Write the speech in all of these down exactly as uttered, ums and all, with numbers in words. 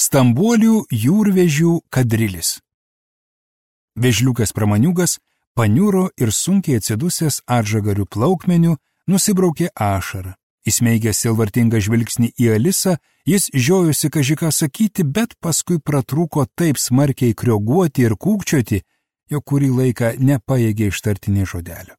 Stambuolių jūrvežių kadrilis. Vežliukas Pramaniukas paniuro ir sunkiai atsidusęs atžagarių plaukmeniu nusibraukė ašarą. Įsmeigęs silvartingą žvilgsnį į Alisą, jis žiojosi kažką sakyti, bet paskui pratrūko taip smarkiai krioguoti ir kūkčioti, jo kurį laiką nepajėgė ištarti nė žodelio.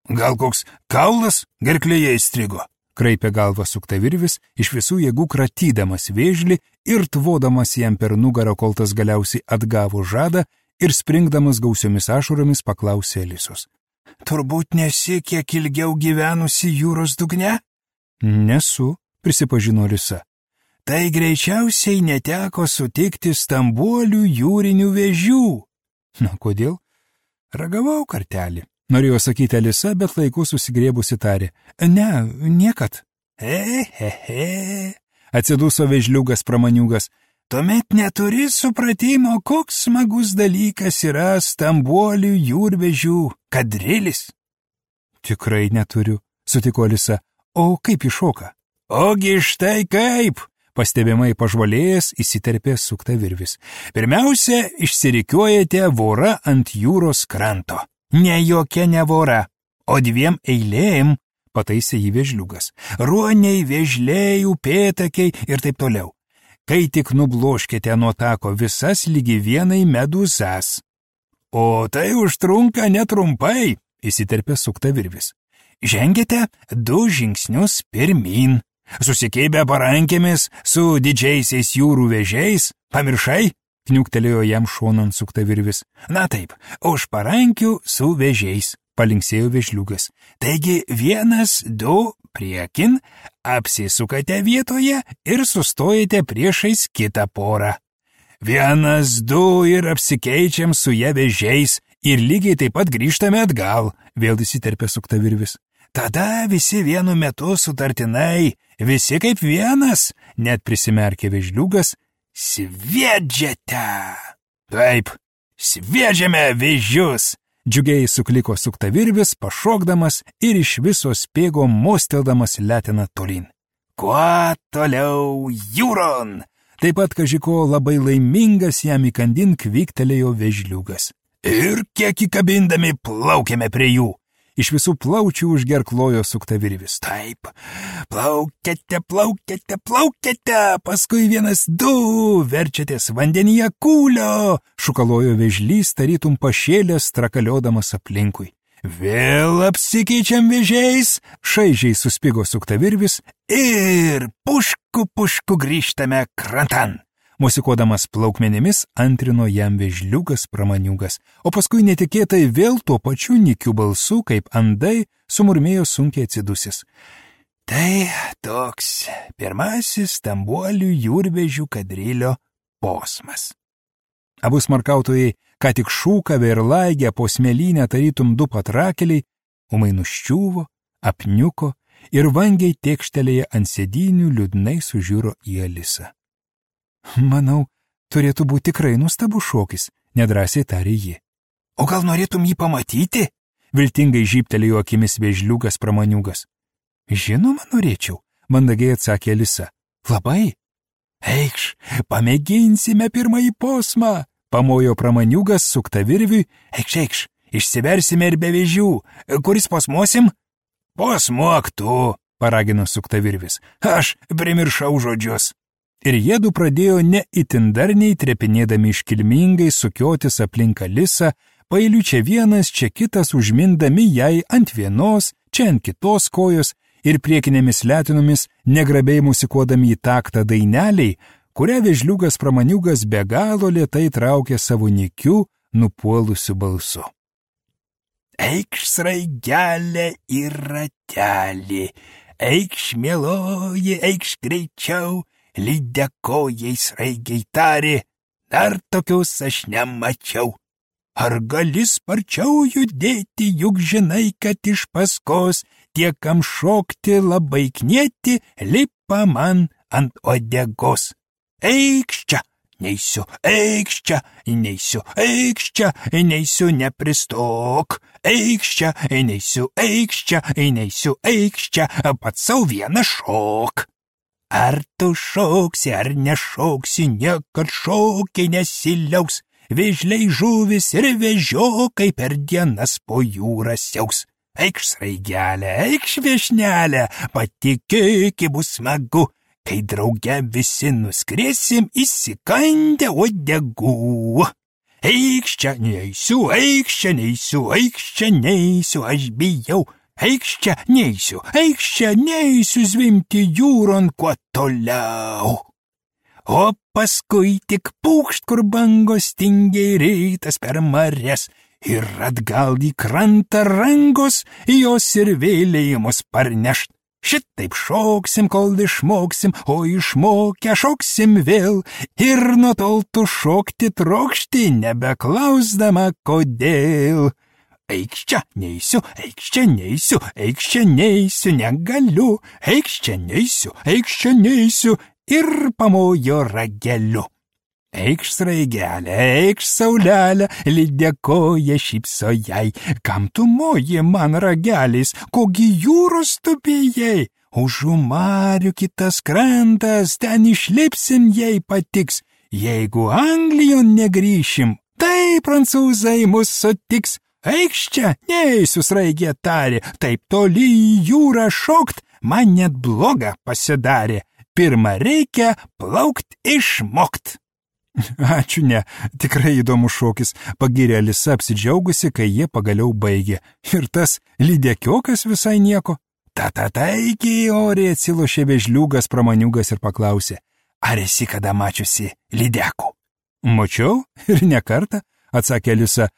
Gal koks kaulas gerklėje įstrigo? Kraipė galvą suktavirvis, iš visų jėgų kratydamas vėžlį ir tvodamas jam per nugarą, kol tas galiausiai atgavo žadą ir springdamas gausiomis ašaromis paklausė Alisos. Turbūt nesi kiek ilgiau gyvenusi jūros dugne? Nesu, prisipažino Alisa. Tai greičiausiai neteko sutikti stambuolių jūrinių vėžių. Na, kodėl? Ragavau kartelį. Norėjo sakyti Alisa, bet laiku susigrėbusi tarė. Ne, niekad. Ehehe, atsiduso Vežliukas Pramaniukas. Tuomet neturi supratimo, koks smagus dalykas yra stambuolių jūrvežių kadrilis. Tikrai neturiu, sutiko Alisa. O kaip iššoka? Ogi štai kaip, pastebimai pažvalėjęs įsiterpė suktavirvis. Pirmiausia, išsirikiuojate vorą ant jūros kranto. Ne jokia ne vora, o dviem eilėm, pataisė jį Vežliukas. Ruoniai, vėžliai, upėtakiai ir taip toliau. Kai tik nubloškite nuo tako visas lygi vienai medūzas. O tai užtrunka netrumpai, įsiterpė suktavirvis. Žengėte du žingsnius pirmin, susikeibę parankėmis su didžiaisiais jūrų vėžiais, pamiršai? Kniuktelėjo jam šonan suktavirvis. Na taip, už parankių su vėžiais, palinksėjo Vežliukas. Taigi vienas, du, priekin, apsisukate vietoje ir sustojate priešais kitą porą. Vienas, du ir apsikeičiam su ją vėžiais ir lygiai taip pat grįžtame atgal, vėl įsiterpė suktavirvis. Tada visi vienu metu sutartinai, visi kaip vienas, net prisimerkė Vežliukas, sviedžiate. Taip, sviedžiame vėžius, džiugiai sukliko suktavirvis, pašokdamas ir iš viso spėgo mosteldamas leteną tolin. Kuo toliau jūron? Taip pat kažiko labai laimingas jam įkandin kvyktelėjo Vežliukas. Ir kiek įkabindami plaukėme prie jų. Iš visų plaučių užgerklojo suktavirvis. Taip, plaukėte, plaukėte, plaukėte, paskui vienas, du, verčiatės vandenyje kūlio, šukalojo Vežlys, tarytum pašėlės trakaliodamas aplinkui. Vėl apsikeičiam vėžiais, šaižiai suspigo suktavirvis ir pušku pušku grįžtame krantan. Musikuodamas plaukmenimis antrino jam Vežliukas Pramaniukas, o paskui netikėtai vėl tuo pačiu nikiu balsu, kaip andai, sumurmėjo sunkiai atsidusis. Tai toks pirmasis stambuolių jūrvežių kadrilio posmas. Abu smarkautojai, ką tik šūkavę ir laigę po smėlynę tarytum du patrakeliai, ūmai nuščiuvo, apniuko ir vangiai tėkštelėje ant sėdynių liūdnai sužiūro į Alisą. Manau, turėtų būti tikrai nuostabus šokis, nedrąsiai tarė ji. O gal norėtum jį pamatyti? Viltingai žybtelėjo akimis Vežliukas Pramaniukas. Žinoma, norėčiau, mandagiai atsakė Alisa. Labai? Eikš, pamėginsime pirmąjį posmą, pamojo Pramaniukas suktavirviui. Eikš, eikš, išsiversime ir be vėžių. Kuris posmuosim? Posmuok tu, paragino suktavirvis. Aš primiršau žodžius. Ir jiedu pradėjo ne itin darniai trepinėdami iškilmingai sukiotis aplink Alisą, pailiu čia vienas, čia kitas užmindami jai ant vienos, čia ant kitos kojos ir priekinėmis letinomis negrabiai musikuodami į taktą daineliai, kurią Vežliukas Pramaniukas be galo lėtai traukė savo nikiu, nupuolusiu balsu. Eikš sraigelė ir ratelį, eikš mieloji, eikš greičiau, lydekojai sraigiai tarė, dar tokius aš nemačiau. Ar gali sparčiau judėti, juk žinai, kad iš paskos tie, kam šokti labai knieti, lipa man ant uodegos. Eikš čia, neisiu, eikš čia, neisiu, eikš čia, neisiu, nepristok. Eikš čia, neisiu, eikš čia, neisiu, eikš čia, pats sau vieną šok. Ar tu šoksi, ar nešoksi, niekad šokiai nesiliaus. Vėžliai žuvis ir vežiokai per dienas po jūrą siaus. Eikš sraigelė, eikš viešnelė, patikėk, bus smagu, kai drauge visi nuskriesim įsikandę uodegų. Eikš čia neisiu, eikš čia neisiu, eikš čia neisiu, aš bijau. Eikš čia neisiu, eikš čia neisiu zvimti jūron kuo toliau. O paskui tik pūkšt, kur bangos tingiai rytas per marias, ir atgal į krantą rangos, jos ir vėliai mus parnešt. Šitaip šoksim, kol išmoksim, o išmokę šoksim vėl, ir nuo tol tu šokti trokšti, nebeklausdama kodėl. Eikš čia neisiu, eikš čia neisiu, eikš čia neisiu, negaliu, eikš čia neisiu, eikš čia neisiu, ir pamojo rageliu. Eikš sraigelė, eikš saulelė, lydėkoja šypso jai. Kam tu moji man rageliais, kogi jūros tu bijai? Už marių kitas krantas, ten išlipsim, jei patiks. Jeigu Anglijon negrįšim, tai prancūzai mus sutiks. Eikš čia, neisiu, sraigė tarė, taip toli į jūrą šokt, man net bloga pasidarė. Pirma reikia plaukt išmokt. Ačiū, ne, tikrai įdomus šokis, pagyrė Alisa apsidžiaugusi, kai jie pagaliau baigė. Ir tas lydekiokas visai nieko. Tata taigi, oriai atsilošė Vėžliukas Pramaniukas ir paklausė, ar esi kada mačiusi lydekų? Mačiau ir ne kartą, atsakė Alisa,